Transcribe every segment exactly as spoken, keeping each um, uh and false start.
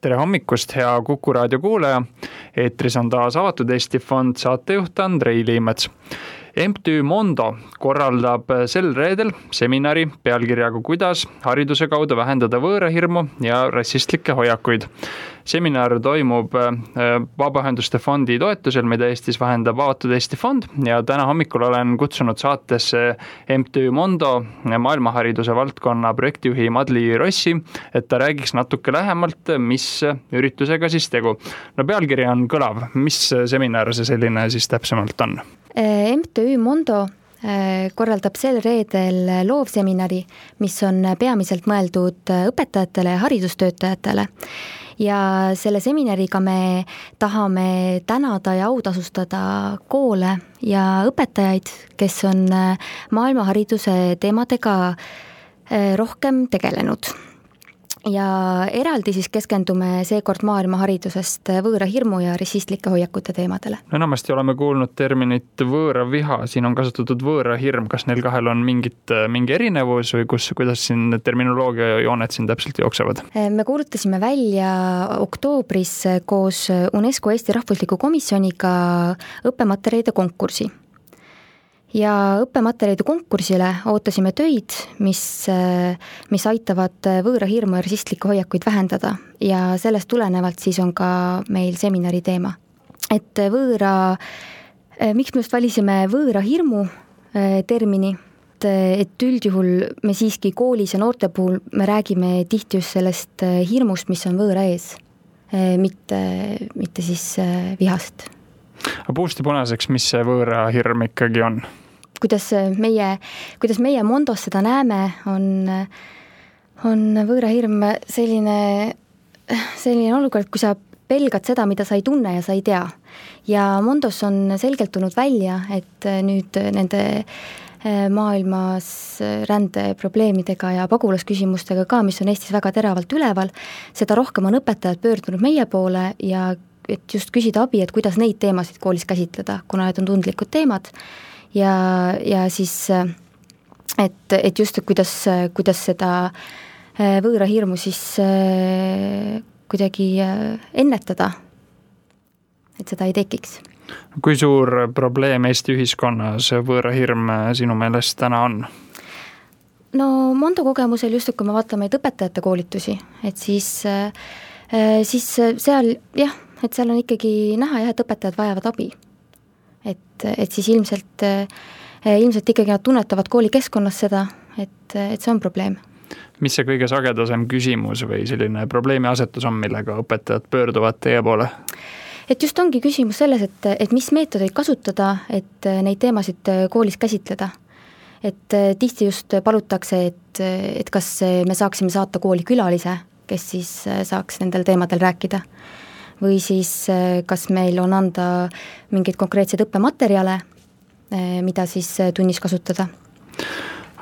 Tere hommikust, hea Kuku raadio kuulaja. Eetris on taas Avatud Eesti Fond, saatejuht Andrei Liimets. M T Ü Mondo korraldab sel reedel seminari pealkirjaga kuidas hariduse kaudu vähendada võõrahirmu ja rassistlikke hoiakuid. Seminar toimub Vabaühenduste fondi toetusel, mida Eestis vahendab Avatud Eesti Fond ja täna hommikul olen kutsunud saatesse M T Ü Mondo maailmahariduse valdkonna projektijuhi Madli Rossi, et ta räägiks natuke lähemalt, mis üritusega siis tegu. No pealkiri on kõlav, mis seminar see selline siis täpsemalt on? M T Ü Mondo korraldab sel reedel loovseminari, mis on peamiselt mõeldud õpetajatele ja haridustöötajatele. Ja selle seminariga me tahame tänada ja autasustada koole ja õpetajaid, kes on maailmahariduse teemadega rohkem tegelenud. Ja eraldi siis keskendume seekord maailmaharidusest võõra hirmu ja rassistlike hoiakute teemadele. No enamasti oleme kuulnud terminit võõra viha, siin on kasutatud võõra hirm, kas neil kahel on mingit, mingi erinevus või kus, kuidas siin terminoloogia jooned siin täpselt jooksevad? Me kuulutasime välja oktoobris koos UNESCO Eesti Rahvusliku Komisjoniga õppematerjalide konkursi. Ja õppematerjalide konkursile ootasime töid, mis, mis aitavad võõra hirmu ja rassistlikke hoiakuid vähendada ja sellest tulenevalt siis on ka meil seminari teema. Et võõra, miks me just valisime võõra hirmu termini, et üldjuhul me siiski koolis ja noorte puhul me räägime tihti just sellest hirmust, mis on võõra ees, mitte, mitte siis vihast. Aga puusti punaseks, mis see võõra hirm ikkagi on? Kuidas meie, kuidas meie Mondos seda näeme, on, on võõra hirm selline, selline olukord, kui sa pelgad seda, mida sa ei tunne ja sa ei tea. Ja Mondos on selgelt tulnud välja, et nüüd nende maailmas rändeprobleemidega ja pagulasküsimustega ka, mis on Eestis väga teravalt üleval, seda rohkem on õpetajad pöördunud meie poole ja et just küsida abi, et kuidas neid teemasid koolis käsitleda, kuna need on tundlikud teemad ja, ja siis, et, et just, et kuidas, kuidas seda võõra hirmu siis kuidagi ennetada, et seda ei tekiks. Kui suur probleem Eesti ühiskonnas võõra hirm sinu meelest täna on? No Mondo kogemusel just, kui me vaatame õpetajate koolitusi, et siis, siis seal jah, et seal on ikkagi näha jah, et õpetajad vajavad abi. Et, et siis ilmselt, ilmselt ikkagi nad tunnetavad kooli keskkonnas seda, et, et see on probleem. Mis see kõige sagedasem küsimus või selline probleemi asetus on, millega õpetajad pöörduvad teie poole? Et just ongi küsimus selles, et, et mis meetodeid kasutada, et neid teemasid koolis käsitleda. Et tihti just palutakse, et, et kas me saaksime saata kooli külalise, kes siis saaks nendel teemadel rääkida. Või siis kas meil on anda mingeid konkreetseid õppematerjale, mida siis tunnis kasutada.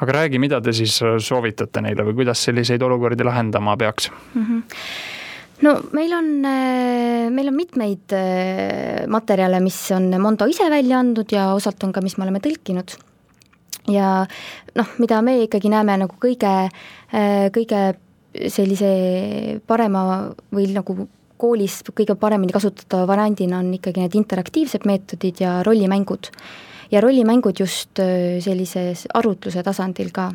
Aga räägi, mida te siis soovitate neile või kuidas selliseid olukordi lahendama peaks? Mm-hmm. No meil on, meil on mitmeid materjale, mis on Mondo ise välja andnud ja osalt on ka, mis me oleme tõlkinud. Ja noh, mida me ikkagi näeme nagu kõige, kõige sellise parema või nagu koolis kõige paremini kasutada variandina on ikkagi need interaktiivsed meetodid ja rollimängud. Ja rollimängud just sellises arutluse tasandil ka.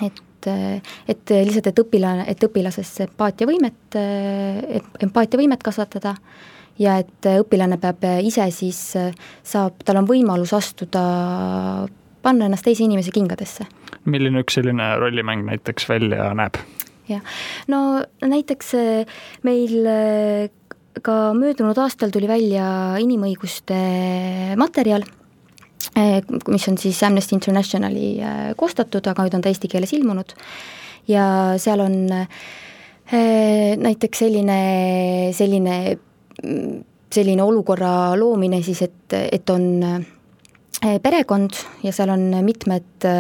Et, et lihtsalt, et, õpila, et õpilases empaatiavõimet, empaatiavõimet kasvatada ja et õpilane peab ise siis saab, tal on võimalus astuda, panna ennast teise inimese kingadesse. Milline üks selline rollimäng näiteks välja näeb? Ja. No näiteks meil ka möödunud aastal tuli välja inimõiguste materjal, mis on siis Amnesty Internationali koostatud, aga nüüd on ta eesti keeles ilmunud ja seal on näiteks selline, selline, selline olukorra loomine siis, et, et on perekond ja seal on mitmed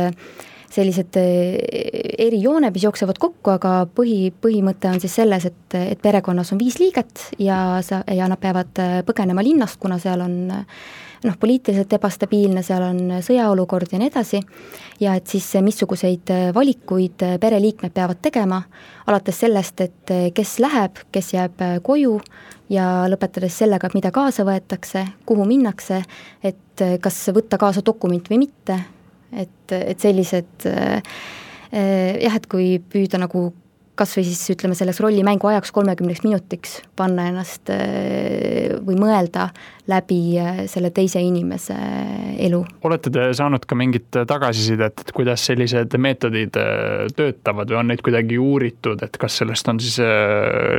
sellised erijooned, mis jooksevad kokku, aga põhi, põhimõte on siis selles, et, et perekonnas on viis liiget ja, sa, ja nad peavad põgenema linnast, kuna seal on noh, poliitiliselt ebastabiilne, seal on sõjaolukord ja nii edasi, ja et siis missuguseid valikuid pereliikmed peavad tegema, alates sellest, et kes läheb, kes jääb koju ja lõpetades sellega, mida kaasa võetakse, kuhu minnakse, et kas võtta kaasa dokument või mitte, et, et sellised jah, et kui püüda nagu kas või siis ütleme selleks rollimängu ajaks kolmekümneks minutiks panna ennast või mõelda läbi selle teise inimese elu. Olete te saanud ka mingit tagasisidet, et kuidas sellised meetodid töötavad või on neid kuidagi uuritud, et kas sellest on siis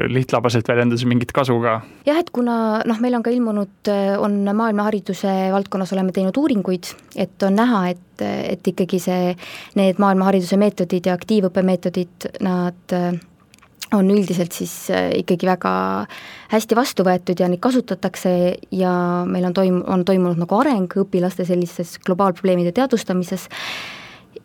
lihtlabaselt väljendades mingit kasu ka? Jah, et kuna noh, meil on ka ilmunud, on maailmahariduse valdkonnas oleme teinud uuringuid, et on näha, et et ikkagi see, need maailmahariduse meetodid ja aktiivõppemeetodid, nad on üldiselt siis ikkagi väga hästi vastu võetud ja neid kasutatakse ja meil on, toim, on toimunud nagu areng õpilaste sellises globaalprobleemide teadvustamises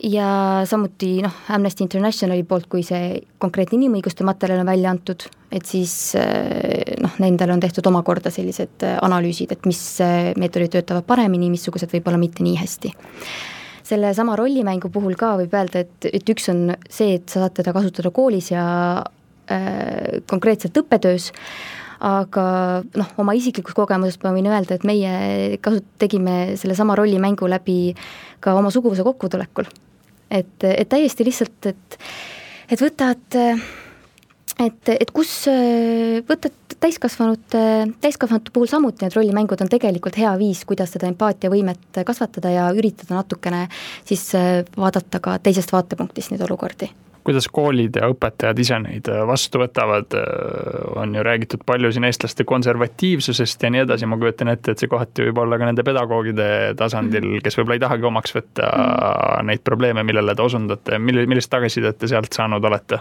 ja samuti noh, Amnesty Internationali poolt, kui see konkreetne inimõiguste materjal on välja antud, et siis noh, nendel on tehtud omakorda sellised analüüsid, et mis meetodid töötavad paremini, missugused võib-olla mitte nii hästi. Selle sama rollimängu puhul ka võib öelda, et, et üks on see, et sa saad teda kasutada koolis ja äh, konkreetselt õppetöös, aga noh, oma isiklikus kogemusest ma võin öelda, et meie kasut-, tegime selle sama rollimängu läbi ka oma suguvõsa kokkutulekul. Et, et täiesti lihtsalt, et, et võtad et, et kus võtad täiskasvanud, täiskasvanute puhul samuti need rollimängud on tegelikult hea viis, kuidas seda empaatiavõimet kasvatada ja üritada natukene siis vaadata ka teisest vaatepunktist neid olukordi. Kuidas koolid ja õpetajad ise neid vastu võtavad, on ju räägitud palju siin eestlaste konservatiivsusest ja nii edasi, ma kujutan ette, et see kohati võib olla ka nende pedagoogide tasandil, kes võib-olla ei tahagi omaks võtta mm. neid probleeme, millele te osundate, millist tagasisidet te sealt saanud olete?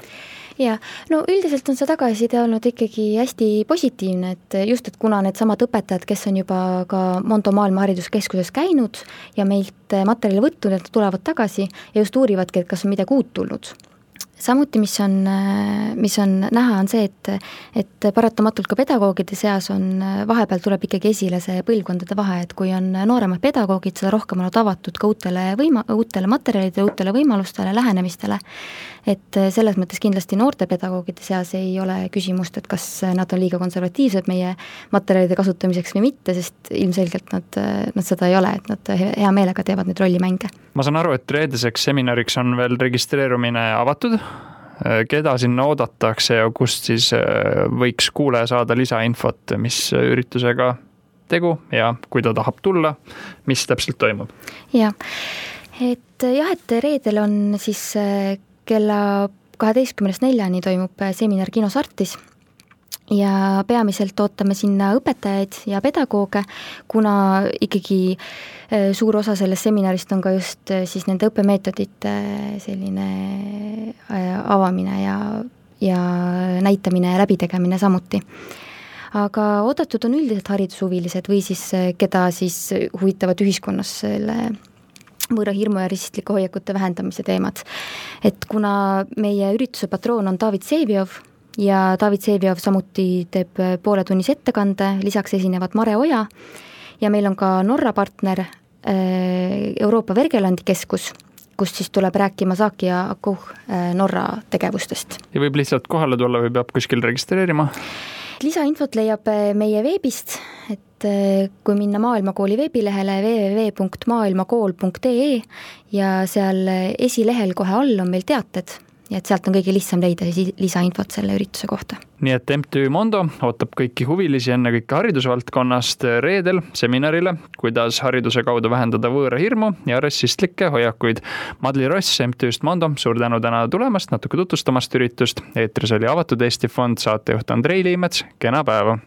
Ja, no üldiselt on see tagasiside olnud ikkagi hästi positiivne, et just, et kuna need samad õpetajad, kes on juba ka Mondo maailmahariduskeskuses käinud ja meilt materjali võtnud, et tulevad tagasi ja just uurivadki, et kas on midagi uut tulnud. Samuti, mis on, mis on näha, on see, et, et paratamatult ka pedagoogide seas on, vahepeal tuleb ikkagi esile see põlvkondade vahe, et kui on nooremad pedagoogid, seda rohkem on avatud ka uutele, võima, uutele materjalidele, uutele võimalustele, lähenemistele, et selles mõttes kindlasti noorte pedagoogide seas ei ole küsimust, et kas nad on liiga konservatiivsed meie materjalide kasutamiseks või mitte, sest ilmselgelt nad, nad seda ei ole, et nad hea meelega teevad neid rollimänge. Ma saan aru, et reedeseks seminariks on veel registreerumine avatud. Keda sinna oodatakse ja kust siis võiks kuulaja saada lisainfot, mis üritusega tegu ja kui ta tahab tulla, mis täpselt toimub? Ja, et jah, et reedel on siis kella kaheteistkümnest neljani toimub seminar Kinos Artis ja peamiselt ootame sinna õpetajaid ja pedagooge, kuna ikkagi suur osa sellest seminarist on ka just siis nende õppemeetodite selline avamine ja, ja näitamine ja läbitegemine samuti. Aga oodatud on üldiselt haridushuvilised või siis keda siis huvitavad ühiskonnas selle võõra hirmu ja risistliku hoiakute vähendamise teemad. Et kuna meie ürituse patroon on David Seeviov ja David Seeviov samuti teeb pooletunnis ettekande, lisaks esinevad Mare Oja ja meil on ka Norra partner Euroopa Vergelandi keskus, kust siis tuleb rääkima Saaki ja Akuh Norra tegevustest. Ja võib lihtsalt kohale tulla või peab kuskil registreerima? Lisainfot leiab meie veebist, et kui minna Maailmakooli veebilehele w w w punkt maailmakool punkt e e ja seal esilehel kohe all on meil teated ja et sealt on kõige lihtsam leida lisainfot selle ürituse kohta. Nii et M T Ü Mondo ootab kõiki huvilisi enne kõike haridusvaldkonnast reedel seminarile, kuidas hariduse kaudu vähendada võõra hirmu ja rassistlikke hoiakuid. Madli Ross M T Üst Mondo, suur tänu täna tulemast, natuke tutvustamast üritust. Eetris oli Avatud Eesti Fond, saatejuht Andrei Liimets, kena päeva!